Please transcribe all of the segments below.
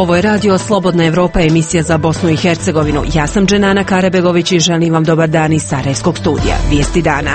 Ovo je radio Slobodna Evropa, emisija za Bosnu i Hercegovinu. Ja sam Dženana Karebegović i želim vam dobar dan iz Sarajevskog studija. Vijesti dana.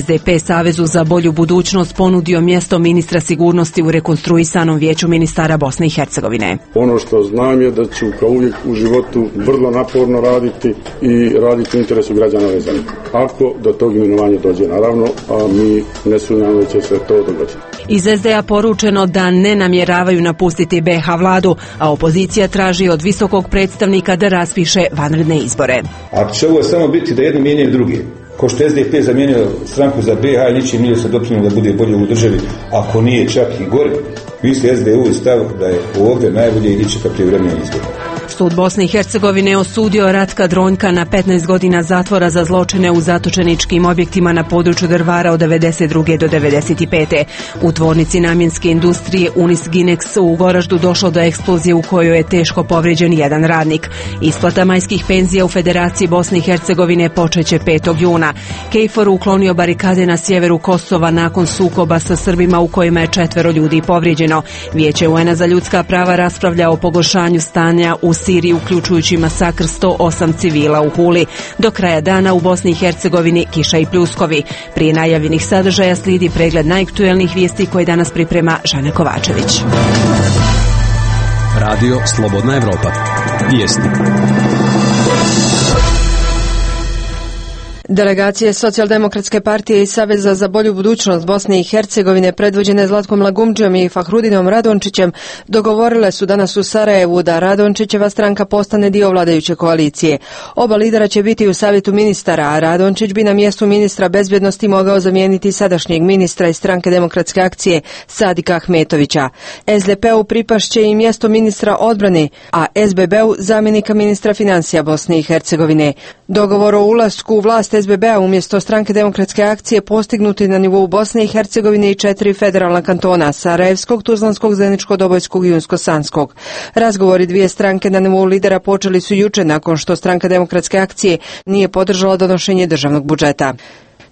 SDP Savezu za bolju budućnost ponudio mjesto ministra sigurnosti u rekonstruisanom vijeću ministara Bosne i Hercegovine. Ono što znam je da ću kao uvijek u životu vrlo naporno raditi i raditi u interesu građana ove zemlje. Ako do tog imenovanja dođe, naravno, a mi ne sumnjamo da će se to dogoditi. Iz SDA poručeno da ne namjeravaju napustiti BiH vladu, a opozicija traži od visokog predstavnika da raspiše vanredne izbore. Ako će ovo samo biti da jedni mijenjaju drugi, ko što SDP zamijenio stranku za BiH i ničim nije se doprinio da bude bolje u državi, ako nije čak i gore, vi ste SDU i stav da je ovdje najbolje ići ka prijevremeni izbor. Sud Bosne i Hercegovine osudio Ratka Dronjka na 15 godina zatvora za zločine u zatočeničkim objektima na području Drvara od 92. do 95. U tvornici namjenske industrije Unis Ginex u Goraždu došlo do eksplozije u kojoj je teško povrijeđen jedan radnik. Isplata majskih penzija u Federaciji Bosne i Hercegovine počeće 5. juna. KFOR uklonio barikade na sjeveru Kosova nakon sukoba sa Srbima u kojima je 4 ljudi povrijeđeno. Vijeće UN-a za ljudska prava raspravlja o pogoršanju stanja u Siriji, uključujući masakr 108 civila u Huli. Do kraja dana u Bosni i Hercegovini kiša i pljuskovi. Prije najavljenih sadržaja slijedi pregled najaktuelnijih vijesti koje danas priprema Žana Kovačević. Radio Slobodna Evropa. Vijesti. Delegacije Socijaldemokratske partije i Saveza za bolju budućnost Bosne i Hercegovine predvođene Zlatkom Lagumdžijom i Fahrudinom Radončićem dogovorile su danas u Sarajevu da Radončićeva stranka postane dio vladajuće koalicije. Oba lidera će biti u savjetu ministara, a Radončić bi na mjestu ministra bezbjednosti mogao zamijeniti sadašnjeg ministra iz stranke Demokratske akcije Sadika Ahmetovića. SDP-u pripašće i mjesto ministra odbrane, a SBB-u zamjenika ministra financija Bosne i Hercegovine. Dogovor o ulasku u vlast SBB-a umjesto stranke Demokratske akcije postignuti na nivou Bosne i Hercegovine i 4 federalna kantona, Sarajevskog, Tuzlanskog, Zeničko-Dobojskog i Unsko-Sanskog. Razgovori dvije stranke na nivou lidera počeli su juče nakon što stranka Demokratske akcije nije podržala donošenje državnog budžeta.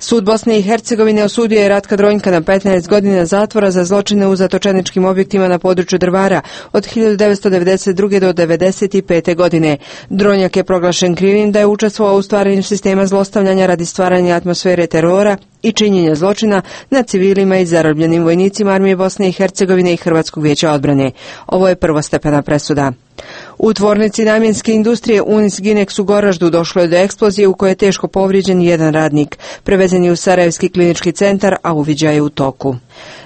Sud Bosne i Hercegovine osudio je Ratka Dronjka na 15 godina zatvora za zločine u zatočeničkim objektima na području Drvara od 1992. do 1995. godine. Dronjak je proglašen krivim da je učestvovao u stvaranju sistema zlostavljanja radi stvaranja atmosfere terora i činjenja zločina nad civilima i zarobljenim vojnicima Armije Bosne i Hercegovine i Hrvatskog vijeća odbrane. Ovo je prvostepena presuda. U tvornici namjenske industrije Unis Ginex u Goraždu došlo je do eksplozije u kojoj je teško povrijeđen jedan radnik. Prevezen je u Sarajevski klinički centar, a uviđaj je u toku.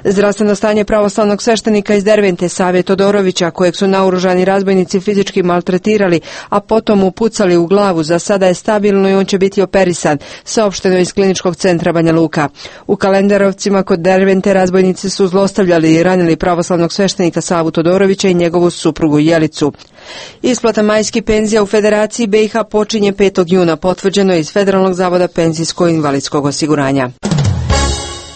Zdravstveno stanje pravoslavnog sveštenika iz Dervente Save Todorovića, kojeg su naoružani razbojnici fizički maltretirali, a potom mu pucali u glavu, za sada je stabilno i on će biti operisan, saopšteno iz kliničkog centra Banja Luka. U Kalendarovcima kod Dervente razbojnici su zlostavljali i ranili pravoslavnog sveštenika Savu Todorovića i njegovu suprugu Jelicu. Isplata majskih penzija u Federaciji BiH počinje 5. juna, potvrđeno je iz Federalnog zavoda penzijsko-invalidskog osiguranja.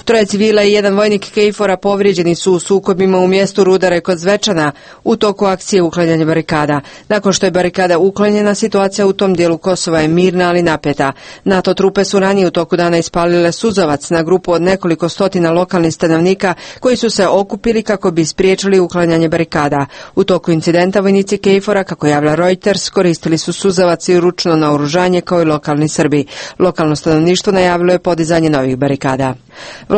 3 civila i 1 vojnik KFOR-a povrijeđeni su u sukobima u mjestu Rudare kod Zvečana u toku akcije uklanjanja barikada. Nakon što je barikada uklonjena, situacija u tom dijelu Kosova je mirna, ali napeta. NATO trupe su ranije u toku dana ispalile suzavac na grupu od nekoliko stotina lokalnih stanovnika koji su se okupili kako bi spriječili uklanjanje barikada. U toku incidenta vojnici KFOR-a, kako javlja Reuters, koristili su suzavac i ručno naoružanje kao i lokalni Srbi. Lokalno stanovništvo najavilo je podizanje novih barikada.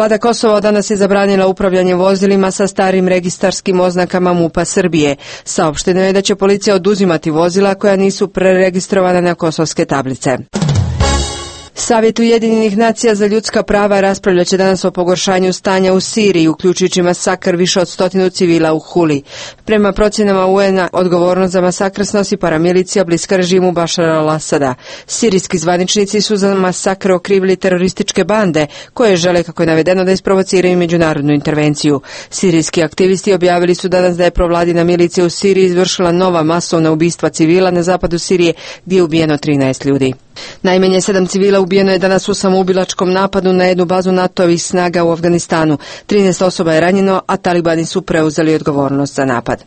Vlada Kosova danas je zabranila upravljanje vozilima sa starim registarskim oznakama MUP-a Srbije. Saopšteno je da će policija oduzimati vozila koja nisu preregistrovana na kosovske tablice. Savjet Ujedinjenih nacija za ljudska prava raspravljat će danas o pogoršanju stanja u Siriji, uključujući masakr više od 100 civila u Huli. Prema procjenama UN-a, odgovornost za masakr snosi paramilicija bliska režimu Bašara al-Asada. Sirijski zvaničnici su za masakr okrivili terorističke bande, koje žele, kako je navedeno, da isprovociraju međunarodnu intervenciju. Sirijski aktivisti objavili su danas da je provladina milicija u Siriji izvršila nova masovna ubistva civila na zapadu Sirije, gdje je ubijeno 13 ljudi. Najmanje 7 civila ubijeno je danas u samoubilačkom napadu na jednu bazu NATO-ovih snaga u Afganistanu. 13 osoba je ranjeno, a talibani su preuzeli odgovornost za napad.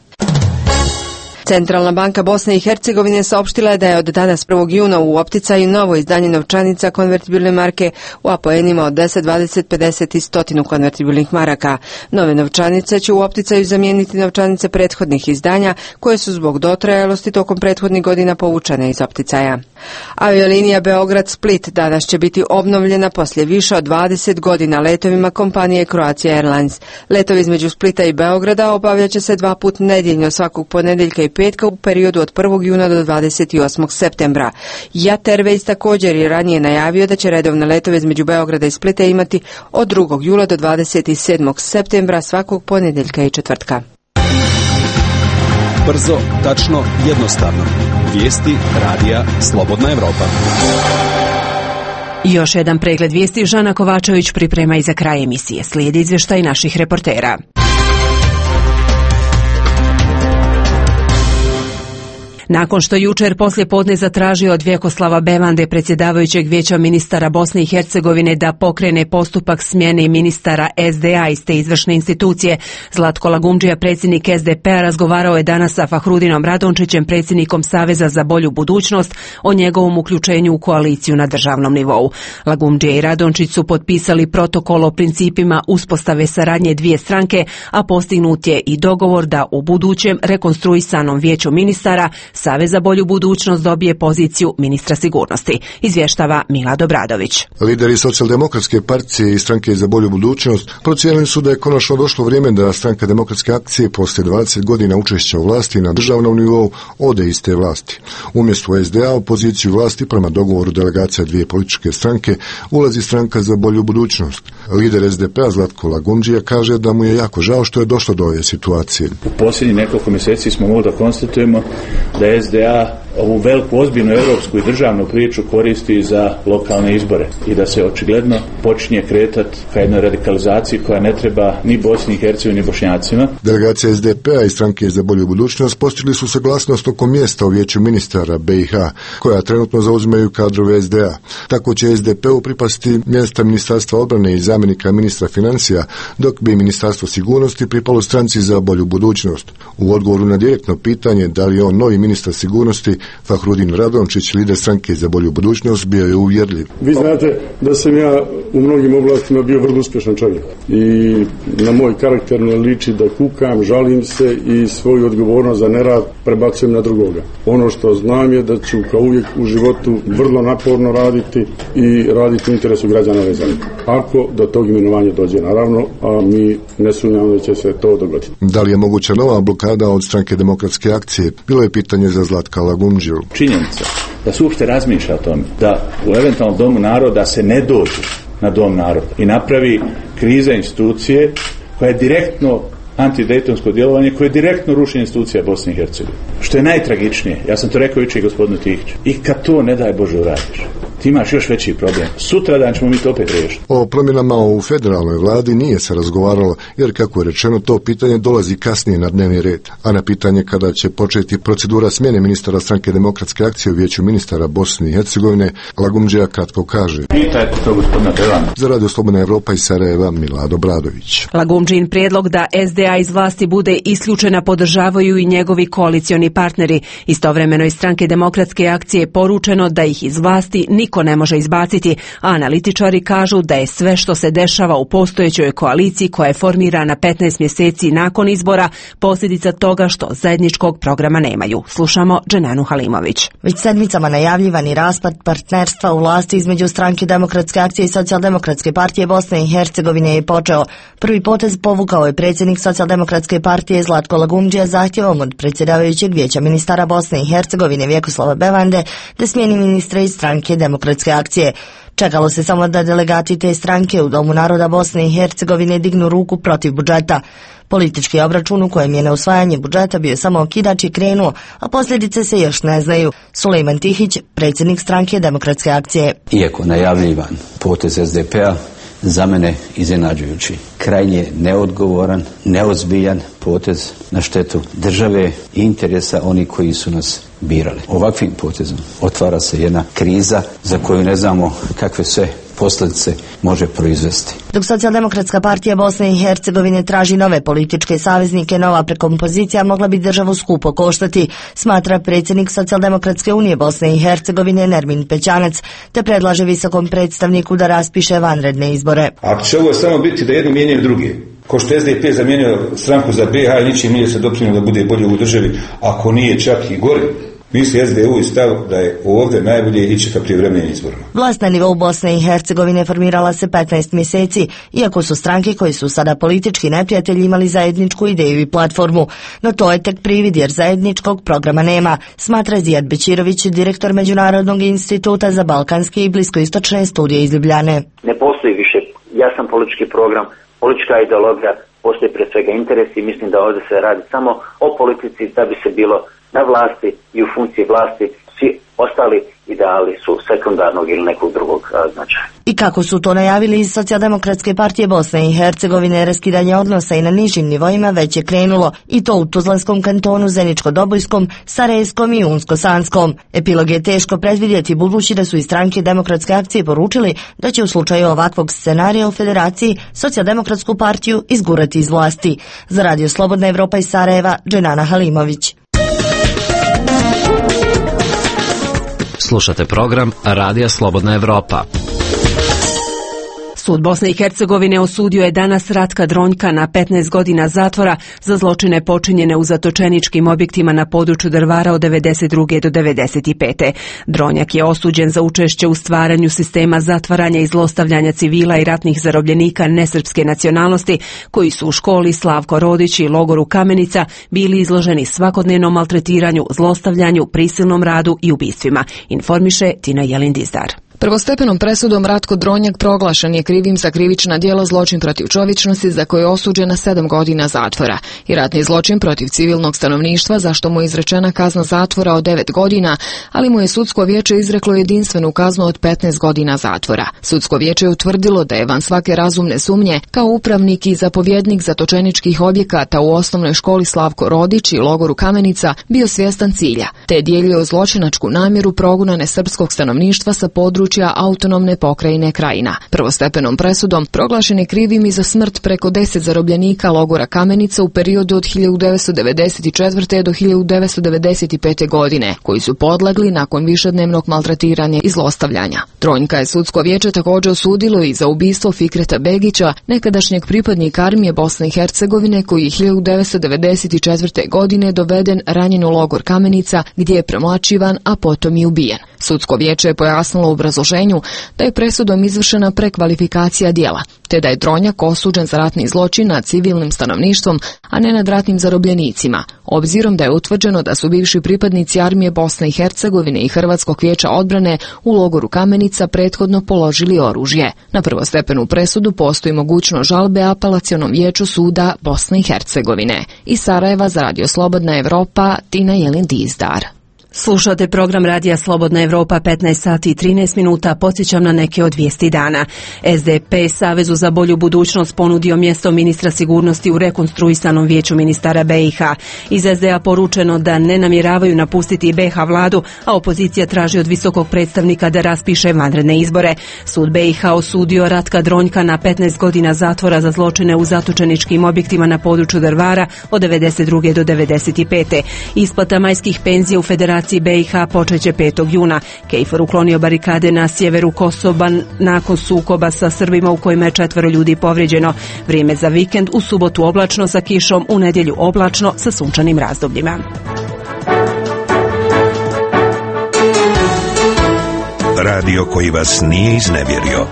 Centralna banka Bosne i Hercegovine saopštila je da je od danas 1. juna u opticaju novo izdanje novčanica konvertibilne marke u apoenima od 10, 20, 50 i 100 konvertibilnih maraka. Nove novčanice će u opticaju zamijeniti novčanice prethodnih izdanja koje su zbog dotrajalosti tokom prethodnih godina povučene iz opticaja. Aviolinija Beograd-Split danas će biti obnovljena poslije više od 20 godina letovima kompanije Croatia Airlines. Letovi između Splita i Beograda obavljat će se 2 puta nedjeljno svakog ponedjeljka i petka u periodu od 1. juna do 28. septembra. JAT Airways također je ranije najavio da će redovne letove između Beograda i Splita imati od 2. jula do 27. septembra svakog ponedjeljka i četvrtka. Brzo, tačno, jednostavno. Vijesti radija Slobodna Evropa. Još jedan pregled vijesti Žana Kovačević priprema i za kraj emisije. Slijedi izvještaj naših reportera. Nakon što jučer poslije podne zatražio od Vjekoslava Bevande, predsjedavajućeg Vijeća ministara Bosne i Hercegovine, da pokrene postupak smjene ministara SDA iz te izvršne institucije, Zlatko Lagumdžija, predsjednik SDP-a, razgovarao je danas sa Fahrudinom Radončićem, predsjednikom Saveza za bolju budućnost, o njegovom uključenju u koaliciju na državnom nivou. Lagumdžija i Radončić su potpisali protokol o principima uspostave saradnje dvije stranke, a postignut je i dogovor da u budućem rekonstruisanom Vijeću ministara Savez za bolju budućnost dobije poziciju ministra sigurnosti, izvještava Milad Obradović. Lideri Socijaldemokratske partije i Stranke za bolju budućnost procijenili su da je konačno došlo vrijeme da Stranka demokratske akcije poslije 20 godina učešća u vlasti na državnom nivou ode iz te vlasti. Umjesto SDA u poziciju vlasti prema dogovoru delegacija dvije političke stranke ulazi Stranka za bolju budućnost. Lider SDP-a Zlatko Lagumdžija kaže da mu je jako žao što je došlo do ove situacije. U posljednjih nekoliko mjeseci smo mogli da konstatujemo da SDA ovu veliku, ozbiljnu europsku i državnu priču koristi za lokalne izbore i da se očigledno počinje kretati ka jednoj radikalizaciji koja ne treba ni Bosni i Hercegovini ni Bošnjacima. Delegacija SDP-a i Stranke za bolju budućnost postigli su saglasnost oko mjesta u Vijeću ministara BiH, koja trenutno zauzimaju kadrove SDA. Tako će SDP-u pripasti mjesta Ministarstva obrane i zamjenika ministra financija, dok bi Ministarstvo sigurnosti pripalo Stranci za bolju budućnost. U odgovoru na direktno pitanje da li je on novi ministar sigurnosti, Fahrudin Radončić, lider Stranke za bolju budućnost, bio je uvjerljiv. Vi znate da sam ja u mnogim oblastima bio vrlo uspješan čovjek i na moj karakter ne liči da kukam, žalim se i svoju odgovornost za nerad prebacujem na drugoga. Ono što znam je da ću kao uvijek u životu vrlo naporno raditi i raditi u interesu građana ove zemlje. Ako do tog imenovanja dođe, naravno, a mi ne sumnjamo da će se to dogoditi. Da li je moguća nova blokada od Stranke demokratske akcije? Bilo je pitanje za Zlatka Lagumdžiju. Činjenica da se uopšte razmišlja o tome da u eventualnom domu naroda se ne dođe na dom naroda i napravi kriza institucije koja je direktno antidejtonsko djelovanje, koje je direktno rušenje institucija Bosne i Hercegovine. Što je najtragičnije, ja sam to rekao jučer i gospodinu Tihiću, i kad to ne daj Bože uradiš, ti imaš još veći problem. Sutradan ćemo mi to opet riješiti. O promjenama u federalnoj vladi nije se razgovaralo, jer kako je rečeno, to pitanje dolazi kasnije na dnevni red. A na pitanje kada će početi procedura smjene ministara Stranke demokratske akcije u Vijeću ministara Bosne i Hercegovine, Lagumdžija kratko kaže. Pitajte to gospodina Bevanda. Za Radio Slobodna Evropa iz Sarajeva, Milad Obradović. Lagumdžin prijedlog da SDA iz vlasti bude isključena podržavaju i njegovi koalicioni partneri. Istovremeno iz Stranke demokratske akcije poručeno da ih iz vlasti niko ne može izbaciti, a analitičari kažu da je sve što se dešava u postojećoj koaliciji koja je formirana 15 mjeseci nakon izbora posljedica toga što zajedničkog programa nemaju. Slušamo Dženanu Halimović. Već sedmicama najavljivani raspad partnerstva u vlasti između Stranke demokratske akcije i Socijaldemokratske partije Bosne i Hercegovine je počeo. Prvi potez povukao je predsjednik Socijaldemokratske partije Zlatko Lagumdžija zahtjevom od predsjedavajućeg Vijeća ministara Bosne i Hercegovine Vjekoslava Bevande da smijeni ministre iz Stranke demokratske akcije. Čekalo se samo da delegati te stranke u Domu naroda Bosne i Hercegovine dignu ruku protiv budžeta. Politički obračun u kojem je neusvajanje budžeta bio samo okidač i krenuo, a posljedice se još ne znaju. Sulejman Tihić, predsjednik Stranke demokratske akcije. Iako najavljivan potez SDP-a, za mene iznenađujući. Krajnje neodgovoran, neozbiljan potez na štetu države i interesa onih koji su nas birali. Ovakvim potezom otvara se jedna kriza za koju ne znamo kakve sve posljedice može proizvesti. Dok Socijaldemokratska partija Bosne i Hercegovine traži nove političke saveznike, nova prekompozicija mogla bi državu skupo koštati, smatra predsjednik Socijaldemokratske unije Bosne i Hercegovine Nermin Pećanac, te predlaže visokom predstavniku da raspiše vanredne izbore. Ako će ovo samo biti da jedni mijenjaju drugi, ko što SDP zamijenio stranku za BiH i ničim nije se doprinio da bude bolje u državi, ako nije čak i gore, misli SDU i stav da je ovdje najbolje ići ka prijevremenim izborima. Vlast na nivou Bosne i Hercegovine formirala se 15 mjeseci, iako su stranke koji su sada politički neprijatelji imali zajedničku ideju i platformu. No to je tek privid jer zajedničkog programa nema, smatra Zijad Bećirović, direktor Međunarodnog instituta za balkanske i bliskoistočne studije iz Ljubljane. Ne postoji više jasan politički program, politička ideologija, postoji pre svega interes i mislim da ovdje se radi samo o politici da bi se bilo na vlasti i u funkciji vlasti, svi ostali ideali su sekundarnog ili nekog drugog značaja. I kako su to najavili iz Socijaldemokratske partije Bosne i Hercegovine, raskidanje odnosa i na nižim nivoima već je krenulo, i to u Tuzlanskom kantonu, Zeničko-Dobojskom, Sarajevskom i Unsko-Sanskom. Epilog je teško predvidjeti, budući da su iz stranke Demokratske akcije poručili da će u slučaju ovakvog scenarija u federaciji Socijaldemokratsku partiju izgurati iz vlasti. Za Radio Slobodna Evropa iz Sarajeva, Dženana Halimović. Slušate program Radija Slobodna Evropa. Sud Bosne i Hercegovine osudio je danas Ratka Dronjka na 15 godina zatvora za zločine počinjene u zatočeničkim objektima na području Drvara od 92. do 95. Dronjak je osuđen za učešće u stvaranju sistema zatvaranja i zlostavljanja civila i ratnih zarobljenika nesrpske nacionalnosti koji su u školi Slavko Rodić i logoru Kamenica bili izloženi svakodnevnom maltretiranju, zlostavljanju, prisilnom radu i ubistvima, informiše Tina Jelindizdar. Prvostepenom presudom Ratko Dronjak proglašen je krivim za krivična djela zločin protiv čovječnosti za koje je osuđen na 7 godina zatvora i ratni zločin protiv civilnog stanovništva za što mu je izrečena kazna zatvora od 9 godina, ali mu je sudsko vijeće izreklo jedinstvenu kaznu od 15 godina zatvora. Sudsko vijeće je utvrdilo da je van svake razumne sumnje kao upravnik i zapovjednik zatočeničkih objekata u osnovnoj školi Slavko Rodić i logoru Kamenica bio svjestan cilja, te je dijelio zločinačku namjeru progona nesrpskog stanovništva sa područja autonomne pokrajine Krajina. Prvostepenom presudom proglašen je krivim i za smrt preko 10 zarobljenika logora Kamenica u periodu od 1994. do 1995. godine, koji su podlegli nakon višednevnog maltretiranja i zlostavljanja. Dronjka je sudsko vijeće također osudilo i za ubistvo Fikreta Begića, nekadašnjeg pripadnika armije Bosne i Hercegovine, koji je 1994. godine doveden ranjen u logor Kamenica, gdje je premlaćivan, a potom i ubijen. Sudsko vijeće je pojasnilo u obrazloženju da je presudom izvršena prekvalifikacija djela, te da je Dronjak osuđen za ratni zločin nad civilnim stanovništvom, a ne nad ratnim zarobljenicima, obzirom da je utvrđeno da su bivši pripadnici armije Bosne i Hercegovine i Hrvatskog vijeća odbrane u logoru Kamenica prethodno položili oružje. Na prvostepenu presudu postoji mogućnost žalbe apelacionom vijeću suda Bosne i Hercegovine. Iz Sarajeva za Radio Slobodna Evropa, Tina Jelindizdar. Slušate program Radija Slobodna Evropa, 15 sati i 13 minuta. Podsjećam na neke od vijesti dana. SDP Savezu za bolju budućnost ponudio mjesto ministra sigurnosti u rekonstruisanom vijeću ministara BiH. Iz SDA poručeno da ne namjeravaju napustiti BiH vladu, a opozicija traži od visokog predstavnika da raspiše vanredne izbore. Sud BiH osudio Ratka Dronjka na 15 godina zatvora za zločine u zatočeničkim objektima na području Drvara od 92. do 95. Isplata majskih penzija u Federaciji BiH počeće 5. juna. KFOR uklonio barikade na sjeveru Kosova nakon sukoba sa Srbima u kojima je 4 ljudi povrijeđeno. Vrijeme za vikend: u subotu oblačno sa kišom, u nedjelju oblačno sa sunčanim razdobljima. Radio koji vas nije iznevjerio.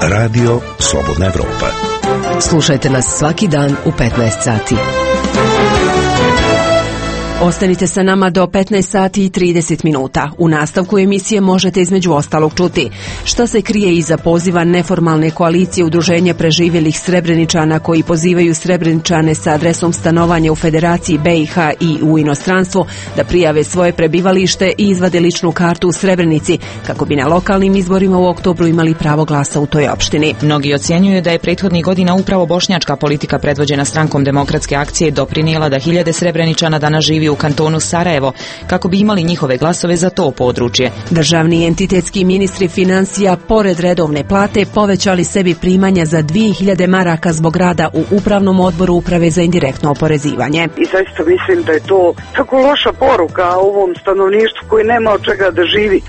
Radio Slobodna Evropa. Slušajte nas svaki dan u 15 sati. Ostanite sa nama do 15 sati i 30 minuta. U nastavku emisije možete između ostalog čuti šta se krije iza poziva neformalne koalicije udruženja preživjelih Srebreničana koji pozivaju Srebreničane sa adresom stanovanja u Federaciji BiH i u inostranstvu da prijave svoje prebivalište i izvade ličnu kartu u Srebrenici kako bi na lokalnim izborima u oktobru imali pravo glasa u toj opštini. Mnogi ocjenjuju da je prethodnih godina upravo bošnjačka politika predvođena strankom Demokratske akcije doprinijela da hiljade Srebreničana danas živi u kantonu Sarajevo, kako bi imali njihove glasove za to područje. Državni entitetski ministri financija pored redovne plate povećali sebi primanja za 2000 maraka zbog rada u upravnom odboru uprave za indirektno oporezivanje. I zaista mislim da je to tako loša poruka ovom stanovništvu koji nema od čega da živi.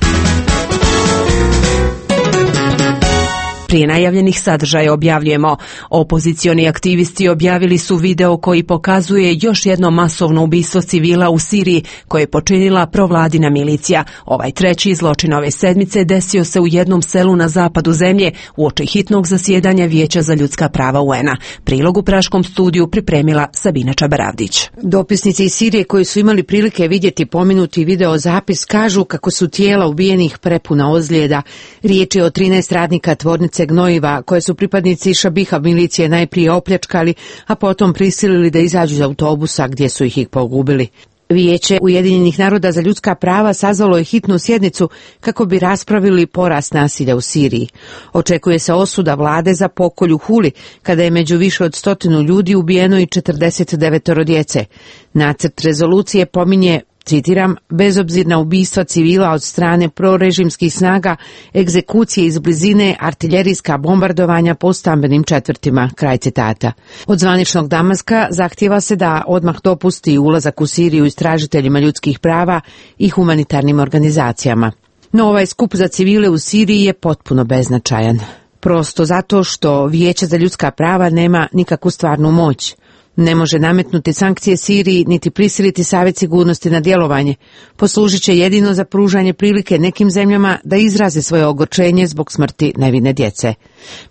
Prije najavljenih sadržaja objavljujemo. Opozicioni aktivisti objavili su video koji pokazuje još jedno masovno ubistvo civila u Siriji koje je počinila provladina milicija. Ovaj treći zločin ove sedmice desio se u jednom selu na zapadu zemlje uoči hitnog zasjedanja Vijeća za ljudska prava UN-a. Prilog u Praškom studiju pripremila Sabina Čabaravdić. Dopisnici iz Sirije koji su imali prilike vidjeti pomenuti video zapis kažu kako su tijela ubijenih prepuna ozljeda. Riječ je o 13 radnika tvornice gnojiva koje su pripadnici Šabiha milicije najprije opljačkali, a potom prisilili da izađu iz autobusa gdje su ih pogubili. Vijeće Ujedinjenih naroda za ljudska prava sazvalo je hitnu sjednicu kako bi raspravili porast nasilja u Siriji. Očekuje se osuda vlade za pokolj u Huli, kada je među više od 100 ljudi ubijeno i 49 djece. Nacrt rezolucije pominje, citiram, bezobzirna ubistva civila od strane prorežimskih snaga, egzekucije iz blizine, artiljerijska bombardovanja po stambenim četvrtima, kraj citata. Od zvaničnog Damaska zahtijeva se da odmah dopusti ulazak u Siriju istražiteljima ljudskih prava i humanitarnim organizacijama. No ovaj skup za civile u Siriji je potpuno beznačajan. Prosto zato što Vijeće za ljudska prava nema nikakvu stvarnu moć. Ne može nametnuti sankcije Siriji niti prisiliti Savjet sigurnosti na djelovanje. Poslužit će jedino za pružanje prilike nekim zemljama da izraze svoje ogorčenje zbog smrti nevine djece.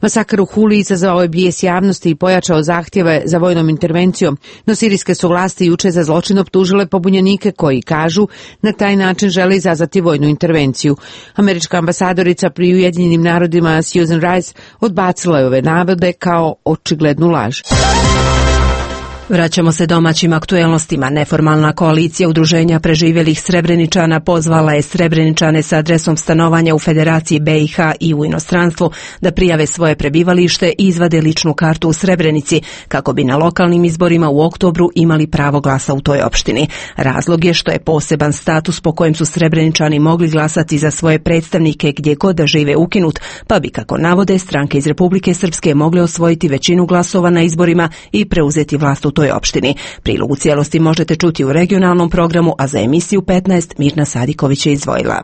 Masakr u Huli izazvao je bijes javnosti i pojačao zahtjeve za vojnom intervencijom, no sirijske su vlasti jučer za zločin optužile pobunjenike koji kažu na taj način žele izazvati vojnu intervenciju. Američka ambasadorica pri Ujedinjenim narodima Susan Rice odbacila je ove navode kao očiglednu laž. Vraćamo se domaćim aktuelnostima. Neformalna koalicija udruženja preživjelih Srebreničana pozvala je Srebreničane sa adresom stanovanja u Federaciji BiH i u inostranstvu da prijave svoje prebivalište i izvade ličnu kartu u Srebrenici kako bi na lokalnim izborima u oktobru imali pravo glasa u toj opštini. Razlog je što je poseban status po kojem su Srebreničani mogli glasati za svoje predstavnike gdje god da žive ukinut, pa bi, kako navode, stranke iz Republike Srpske mogle osvojiti većinu glasova na izborima i preuzeti vlast u toj opštini. Prilog u cijelosti možete čuti u regionalnom programu, a za emisiju 15 Mirna Sadiković je izdvojila.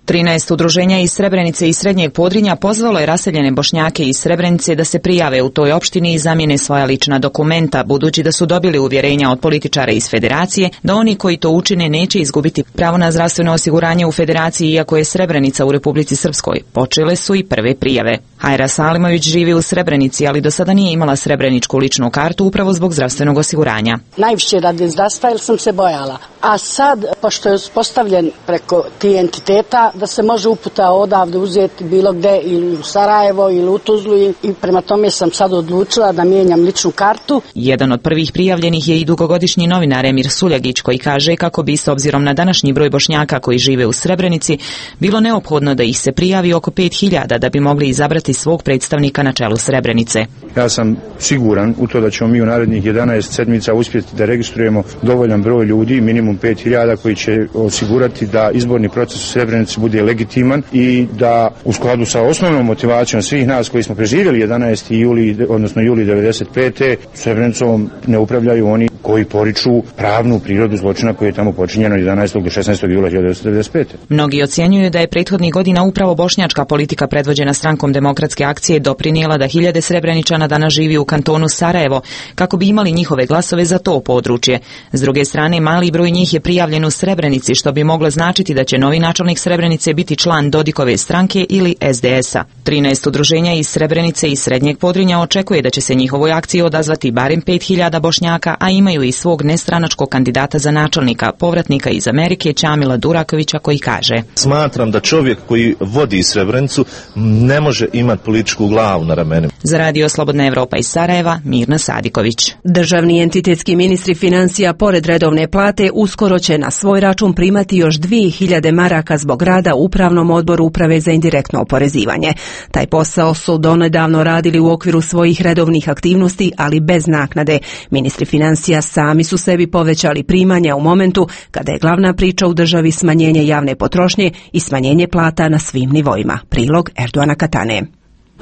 13 udruženja iz Srebrenice i Srednjeg Podrinja pozvalo je raseljene Bošnjake iz Srebrenice da se prijave u toj opštini i zamijene svoja lična dokumenta, budući da su dobili uvjerenja od političara iz Federacije da oni koji to učine neće izgubiti pravo na zdravstveno osiguranje u Federaciji, iako je Srebrenica u Republici Srpskoj. Počele su i prve prijave. Hajra Salimović živi u Srebrenici, ali do sada nije imala srebreničku ličnu kartu upravo zbog zdravstvenog osiguranja. Najviše radi zdravstva jer sam se bojala. A sad, pošto je uspostavljen preko tih entiteta, da se može uputa odavde uzeti bilo gde, ili u Sarajevo ili u Tuzlu, i prema tome sam sad odlučila da mijenjam ličnu kartu. Jedan od prvih prijavljenih je i dugogodišnji novinar Emir Suljagić, koji kaže kako bi, s obzirom na današnji broj Bošnjaka koji žive u Srebrenici, bilo neophodno da ih se prijavi oko 5000 da bi mogli izabrati svog predstavnika na čelu Srebrenice. Ja sam siguran u to da ćemo mi u narednih 11 sedmica uspjeti da registrujemo dovoljan broj ljudi, minimum 5000, koji će osigurati da izborni proces u Srebrenici bude legitiman i da u skladu sa osnovnom motivacijom svih nas koji smo preživjeli 11. juli, odnosno juli 95. Srebrenicom ne upravljaju oni koji poriču pravnu prirodu zločina koji je tamo počinjeno 11. do 16. jula 1995. Mnogi ocjenjuju da je prethodnih godina upravo bošnjačka politika predvođena strankom Demokratske akcije doprinijela da hiljade Srebreničana danas živi u kantonu Sarajevo kako bi imali njihove glasove za to područje. S druge strane, mali broj njih je prijavljen u Srebrenici, što bi moglo značiti da će novi načelnik Srebrenice biti član Dodikove stranke ili SDS-a. 13 udruženja iz Srebrenice i Srednjeg Podrinja očekuje da će se njihovoj akciji odazvati barem 5000 Bošnjaka, a imaju i svog nestranačkog kandidata za načelnika, povratnika iz Amerike, Čamila Durakovića, koji kaže: Smatram da čovjek koji vodi Srebrenicu ne može imati političku glavu na ramenima. Za Radio Slobodna Evropa iz Sarajeva, Mirna Sadiković. Državni entitetski ministri financija pored redovne plate uskoro će na svoj račun primati još 2000 maraka zbog rada rada u Upravnom odboru Uprave za indirektno oporezivanje. Taj posao su donedavno radili u okviru svojih redovnih aktivnosti, ali bez naknade. Ministri financija sami su sebi povećali primanja u momentu kada je glavna priča u državi smanjenje javne potrošnje i smanjenje plata na svim nivoima. Prilog Erdoana Katane.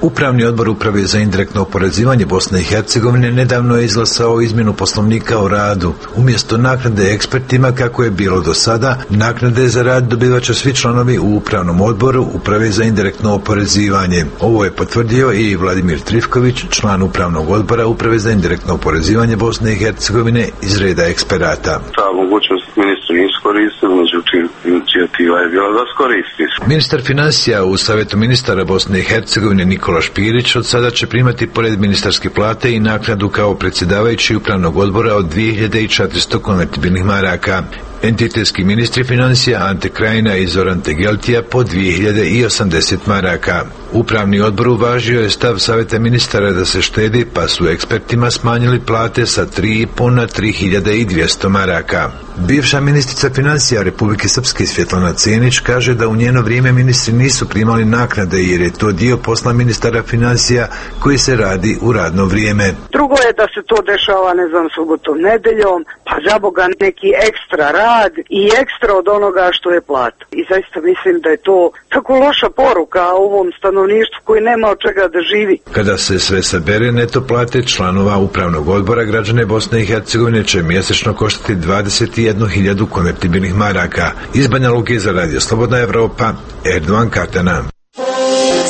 Upravni odbor Uprave za indirektno oporezivanje Bosne i Hercegovine nedavno je izglasao izmjenu poslovnika o radu. Umjesto naknade ekspertima, kako je bilo do sada, naknade za rad dobivaće svi članovi u Upravnom odboru Uprave za indirektno oporezivanje. Ovo je potvrdio i Vladimir Trifković, član Upravnog odbora Uprave za indirektno oporezivanje Bosne i Hercegovine iz reda eksperata. Ta mogućnost ministri nisu koristili, međutim inicijativa je bila da skoristi. Ministar financija u Savjetu ministara Bosne i Hercegovine Nikola Špirić od sada će primati pored ministarske plate i naknadu kao predsjedavajući Upravnog odbora od 2400 konvertibilnih maraka. Entitetski ministri financija Ante Krajina i Zoran Tegeltija po 2080 maraka. Upravni odbor uvažio je stav Savjeta ministara da se štedi, pa su ekspertima smanjili plate sa 3,5 na 3200 maraka. Bivša ministrica financija Republike Srpske Svjetlana Cenić kaže da u njeno vrijeme ministri nisu primali naknade jer je to dio posla ministara financija koji se radi u radno vrijeme. Drugo je da se to dešava, ne znam, subotom, nedeljom, pa za Boga neki ekstra rad i ekstra od onoga što je plata. I zaista mislim da je to tako loša poruka ovom stanovništvu koji nema od čega da živi. Kada se sve sabere, neto plate članova Upravnog odbora građane Bosne i Hercegovine će mjesečno koštati 21.000 konvertibilnih maraka. Iz Banja Luke za Radio Slobodna Evropa, Erdoan Katana.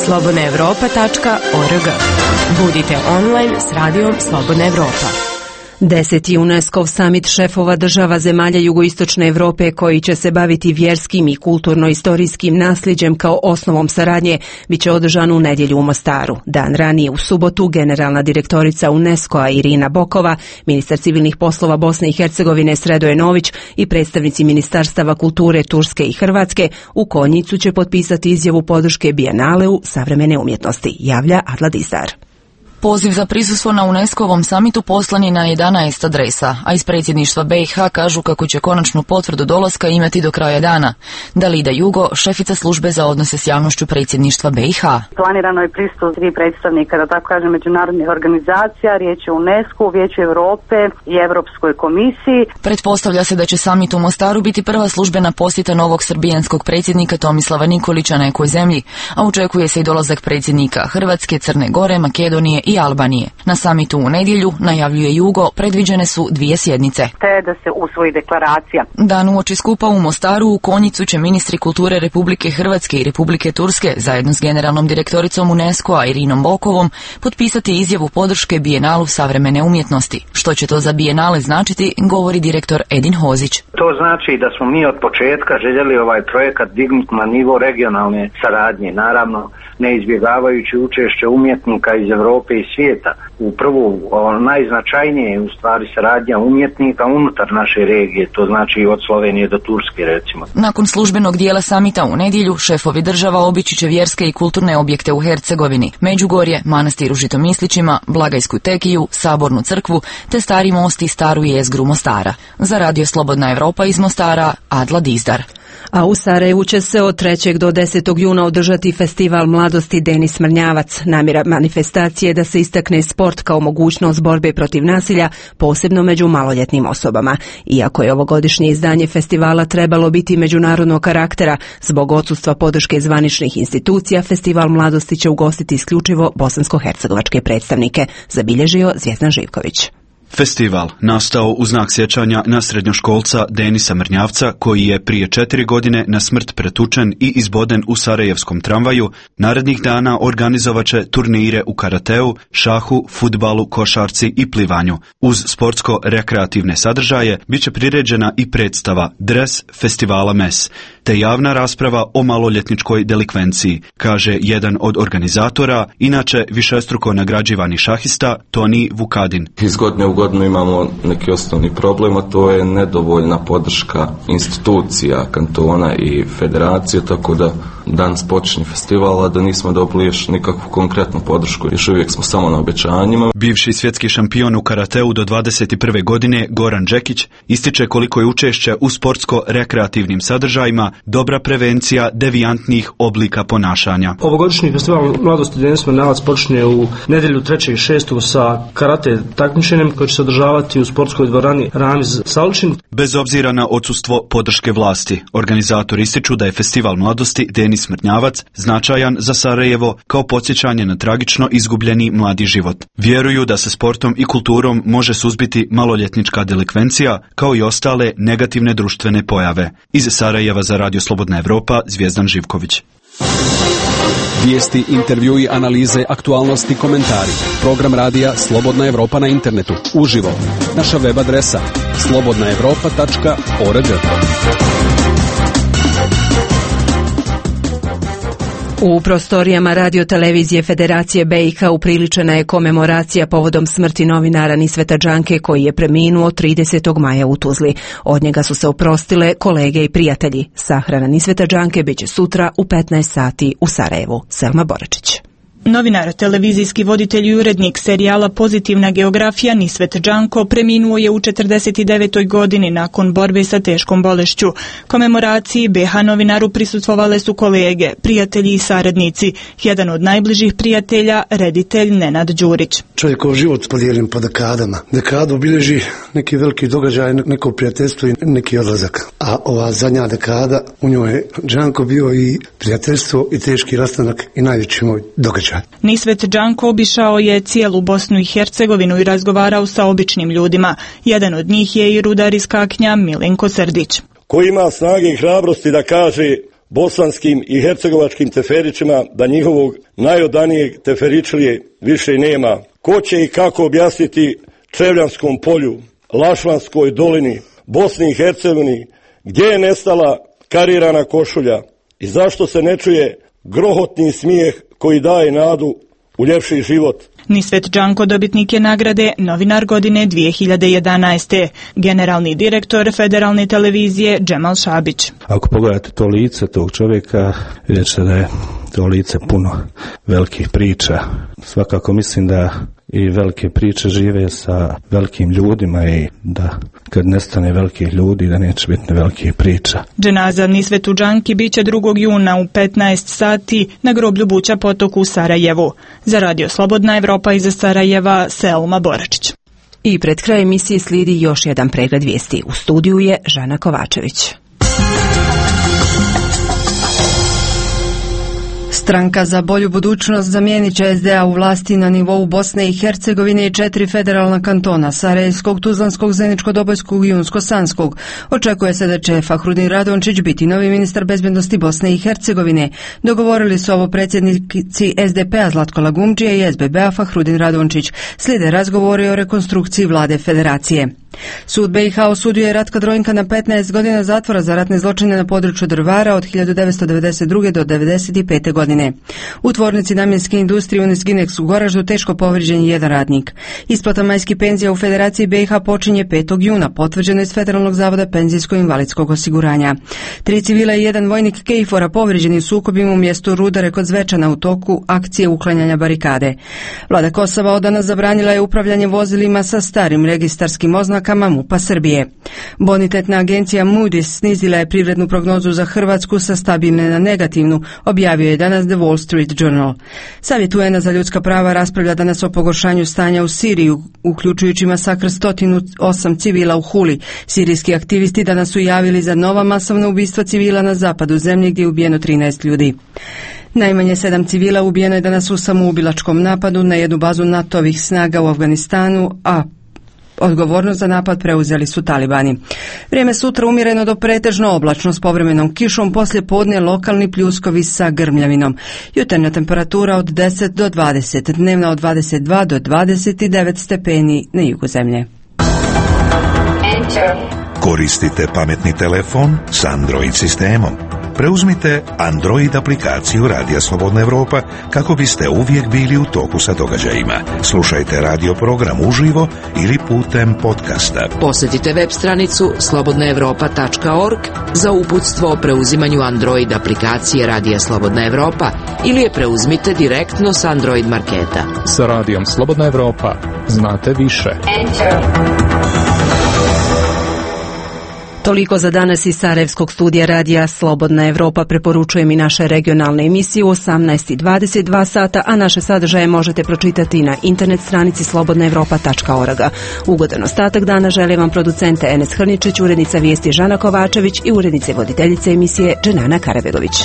slobodnaevropa.org. Budite online s radijom Slobodna Evropa. 10. UNESCO summit šefova država zemalja jugoistočne Europe koji će se baviti vjerskim i kulturno-istorijskim nasljeđem kao osnovom saradnje bit će održan u nedjelju u Mostaru. Dan ranije u subotu generalna direktorica UNESCO-a Irina Bokova, ministar civilnih poslova Bosne i Hercegovine Sredoje Nović i predstavnici ministarstava kulture Turske i Hrvatske u Konjicu će potpisati izjavu podrške Bijenaleu savremene umjetnosti, javlja Adla Disar. Poziv za prisustvo na UNESCO-ovom samitu poslan je na 11 adresa, a iz predsjedništva BiH kažu kako će konačnu potvrdu dolaska imati do kraja dana. Dalida Jugo, šefica službe za odnose s javnošću predsjedništva BiH. Planirano je pristup 3 predstavnika, da tako kažem, međunarodnih organizacija, riječ je o UNESCO, Vijeću Europe i Europskoj komisiji. Pretpostavlja se da će samit u Mostaru biti prva službena posjeta novog srbijanskog predsjednika Tomislava Nikolića nekoj zemlji, a očekuje se i dolazak predsjednika Hrvatske, Crne Gore, Makedonije i Albanije. Na samitu u nedjelju, najavljuje Jugo, predviđene su 2 sjednice. Te da se usvoji deklaracija. Dan uoči skupa u Mostaru u Konjicu će ministri kulture Republike Hrvatske i Republike Turske zajedno s generalnom direktoricom UNESCO-a Irinom Bokovom potpisati izjavu podrške Bijenalu savremene umjetnosti. Što će to za Bijenale značiti, govori direktor Edin Hozić. To znači da smo mi od početka željeli ovaj projekat dignuti na nivo regionalne saradnje, naravno ne izbjegavajući učešće umjetnika iz Europe i svijeta. U prvu, najznačajnije je u stvari saradnja umjetnika unutar naše regije, to znači od Slovenije do Turske recimo. Nakon službenog dijela samita u nedjelju, šefovi država obići će vjerske i kulturne objekte u Hercegovini, Međugorje, manastir u Žitomislićima, Blagajsku tekiju, Sabornu crkvu, te Stari most i staru jezgru Mostara. Za Radio Slobodna Evropa iz Mostara, Adla Dizdar. A u Sarajevu će se od 3. do 10. juna održati festival mladosti Denis Mrnjavac. Namjera manifestacije je da se istakne sport kao mogućnost borbe protiv nasilja, posebno među maloljetnim osobama. Iako je ovogodišnje izdanje festivala trebalo biti međunarodnog karaktera, zbog odsustva podrške zvaničnih institucija, festival mladosti će ugostiti isključivo bosansko-hercegovačke predstavnike, zabilježio Zvjezdan Živković. Festival nastao u znak sjećanja na srednjoškolca Denisa Mrnjavca, koji je prije 4 godine na smrt pretučen i izboden u sarajevskom tramvaju, narednih dana organizovat će turnire u karateu, šahu, fudbalu, košarci i plivanju. Uz sportsko-rekreativne sadržaje bit će priređena i predstava Dres festivala MES, te javna rasprava o maloljetničkoj delikvenciji, kaže jedan od organizatora, inače višestruko nagrađivani šahista Toni Vukadin. Iz godine u godinu imamo neki osnovni problem, a to je nedovoljna podrška institucija, kantona i federacije, tako da danas počinje festival, a da nismo dobili još nikakvu konkretnu podršku. Još uvijek smo samo na obećanjima. Bivši svjetski šampion u karateu do 21. godine Goran Đekić ističe koliko je učešće u sportsko-rekreativnim sadržajima dobra prevencija devijantnih oblika ponašanja. Ovogodišnji festival Mladosti Denis Smirnjavac počinje u nedjelju 3.6. sa karate takmičenjem koje će se održavati u sportskoj dvorani Ramiz Salčin. Bez obzira na odsustvo podrške vlasti, organizatori ističu da je festival Mladosti Denis Smirnjavac značajan za Sarajevo kao podsjećanje na tragično izgubljeni mladi život. Vjeruju da se sportom i kulturom može suzbiti maloljetnička delikvencija kao i ostale negativne društvene pojave. Iz Sarajeva za Radio Slobodna Evropa, Zvijezdan Živković. Vijesti, intervjui, analize, aktualnosti, komentari. Program radija Slobodna Evropa na internetu. Uživo. Naša web adresa slobodnaevropa.org. U prostorijama radiotelevizije Federacije BiH upriličena je komemoracija povodom smrti novinara Nisveta Džanke koji je preminuo 30. maja u Tuzli. Od njega su se oprostile kolege i prijatelji. Sahrana Nisveta Džanke biće sutra u 15 sati u Sarajevu. Selma Boračić. Novinar, televizijski voditelj i urednik serijala Pozitivna geografija Nisvet Džanko preminuo je u 49. godini nakon borbe sa teškom bolešću. Komemoraciji BiH novinaru prisustvovale su kolege, prijatelji i saradnici. Jedan od najbližih prijatelja, reditelj Nenad Đurić. Čovjekov život podijelim po dekadama. Dekadu obilježi neki veliki događaj, neko prijateljstvo i neki odlazak. A ova zadnja dekada, u njoj je Džanko bio i prijateljstvo i teški rastanak i najveći moj događaj. Nisvet Džanko obišao je cijelu Bosnu i Hercegovinu i razgovarao sa običnim ljudima. Jedan od njih je i rudar iz Kaknja Milenko Srdić. Ko ima snage i hrabrosti da kaže bosanskim i hercegovačkim teferićima da njihovog najodanijeg teferičlije više nema? Ko će i kako objasniti Čevljanskom polju, Lašvanskoj dolini, Bosni i Hercegovini, gdje je nestala karirana košulja i zašto se ne čuje grohotni smijeh koji daje nadu u ljepši život? Nisvet Džanko dobitnik je nagrade Novinar godine 2011. Generalni direktor Federalne televizije Džemal Šabić. Ako pogledate to lice tog čovjeka, vidjet ćete da je to lice puno velikih priča. Svakako mislim da i velike priče žive sa velikim ljudima i da kad nestane velikih ljudi da neće biti velikih priča. Dženaza Nisvetu Džanki biće 2. juna u 15 sati na groblju Buća Potok u Sarajevu. Za Radio Slobodna Evropa iz Sarajeva, Selma Boračić. I pred kraj emisije slijedi još jedan pregled vijesti. U studiju je Žana Kovačević. Stranka za bolju budućnost zamijenit će SDA u vlasti na nivou Bosne i Hercegovine i 4 federalna kantona, Sarajevskog, Tuzlanskog, Zeničko-Dobojskog i Unsko-Sanskog. Očekuje se da će Fahrudin Radončić biti novi ministar bezbednosti Bosne i Hercegovine. Dogovorili su ovo predsjednici SDP-a Zlatko Lagumdžija i SBB-a Fahrudin Radončić. Slijede razgovori o rekonstrukciji vlade federacije. Sud BiH osudio je Ratka Drojnka na 15 godina zatvora za ratne zločine na području Drvara od 1992. do 1995. godine. U tvornici namjenske industrije Unisginex u Goraždu teško povrijeđen je jedan radnik. Isplata majskih penzija u Federaciji BiH počinje 5. juna, potvrđeno iz Federalnog zavoda penzijsko-invalidskog osiguranja. 3 civila i 1 vojnik KFOR-a povrijeđeni u sukobima u mjestu Rudare kod Zvečana u toku akcije uklanjanja barikade. Vlada Kosova od danas zabranila je upravljanje vozilima sa starim registarskim oznakama MUP-a Srbije. Bonitetna agencija Moody's snizila je privrednu prognozu za Hrvatsku sa stabilne na negativnu, objavio je danas The Wall Street Journal. Savjet UN-a za ljudska prava raspravlja danas o pogoršanju stanja u Siriji, uključujući masakr 108 civila u Huli. Sirijski aktivisti danas su javili za nova masovna ubistva civila na zapadu zemlje gdje je ubijeno 13 ljudi. Najmanje 7 civila ubijeno je danas u samoubilačkom napadu na jednu bazu NATO-ovih snaga u Afganistanu, a odgovornost za napad preuzeli su talibani. Vrijeme sutra umjereno do pretežno oblačno s povremenom kišom, poslije podne lokalni pljuskovi sa grmljavinom. Jutarnja temperatura od 10 do 20, dnevna od 22 do 29 stepeni na jugu zemlje. Koristite pametni telefon s Android sistemom. Preuzmite Android aplikaciju Radija Slobodna Evropa kako biste uvijek bili u toku sa događajima. Slušajte radio program uživo ili putem podcasta. Posjetite web stranicu slobodnaevropa.org za uputstvo o preuzimanju Android aplikacije Radija Slobodna Evropa ili je preuzmite direktno s Android marketa. Sa Radijom Slobodna Evropa znate više. Toliko za danas iz Sarajevskog studija Radija Slobodna Evropa. Preporučujem i naše regionalne emisije u 18:22 sata, a naše sadržaje možete pročitati na internet stranici slobodnaevropa.org. Ugodan ostatak dana želim vam producente Enes Hrničić, urednica vijesti Žana Kovačević i urednice voditeljice emisije Dženana Karabegović.